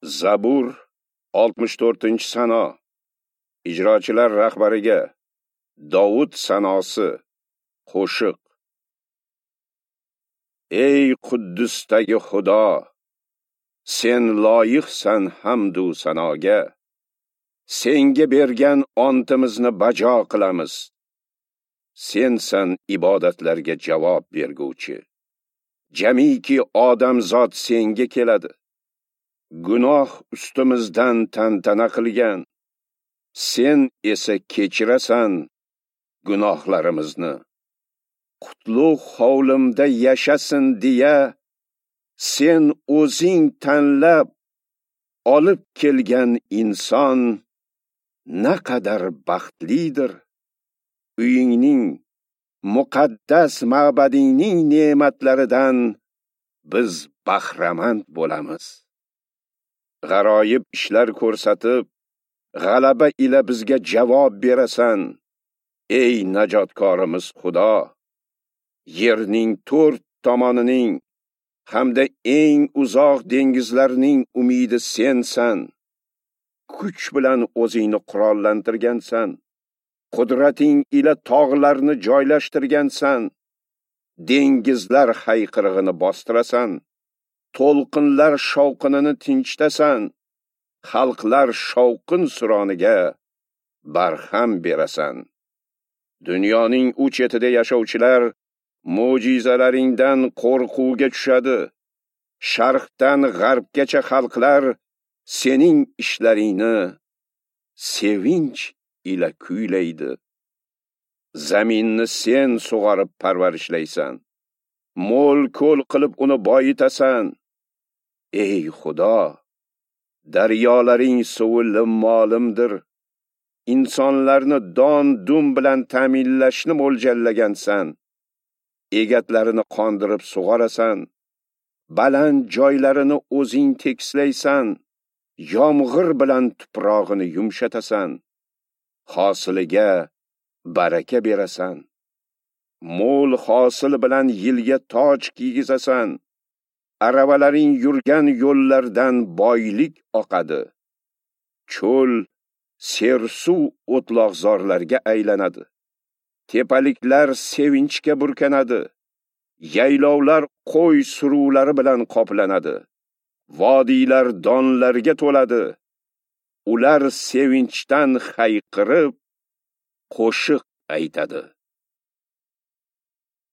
Zabur 64-sano. Ijrochilar rahbariga Dovud sanosi, qo'shiq. Ey Quddusdagi Xudo, sen loyiqsan hamdu sanoga. Senga bergan ontimizni bajo qilamiz. Sensan ibodatlarga javob berguvchi. Jamiki odamzod senga keladi. Gunoh ustimizdan tantana qilgan. Sen esa kechirasan gunohlarimizni. Qutlug' hovlimda yashasin deya sen o'zing tanlab olib kelgan inson naqadar baxtlidir. Uyingning, muqaddas ma'badingning ne'matlaridan biz bahramand bo'lamiz. G'aroyib ishlar ko'rsatib, g'alaba ila bizga javob berasan. Ey najotkorimiz Xudo, yerning to'rt tomonining hamda eng uzoq dengizlarning umidi sensan. Kuch bilan o'zingni qurollantirgansan. Qudrating ila tog'larni joylashtirgansan. Dengizlar hayqirig'ini bostirasan. To'lqinlar shovqinini tinchitasan. Xalqlar shovqin suroniga barham berasan. Dunyoning u chetida yashovchilar mo'jizalaringdan qo'rquvga tushadi. Sharqdan g'arbgacha xalqlar sening ishlaringni sevinch ila kuylaydi. Zaminni sen sug'orib parvarishlaysan. Mo'l ko'l qilib uni boyitasan. Ey Xudo, daryolaring suvi limmolimdir. Insonlarni don-dum bilan ta'minlashni mo'ljallagansan. Egatlarini qondirib sug'orasan. Baland joylarini o'zing tekislaysan. Yomg'ir bilan tuprog'ini yumshatasan. Hosiliga baraka berasan. Mo'l hosil bilan yilga toj kiygizasan. Aravalaring yurgan yo'llardan boylik oqadi. Cho'l sersuv o'tloqzorlarga aylanadi. Tepaliklar sevinchga burkanadi. Yaylovlar qo'y suruvlari bilan qoplanadi. Vodiylar donlarga to'ladi. Ular sevinchdan hayqirib qo'shiq aytadi.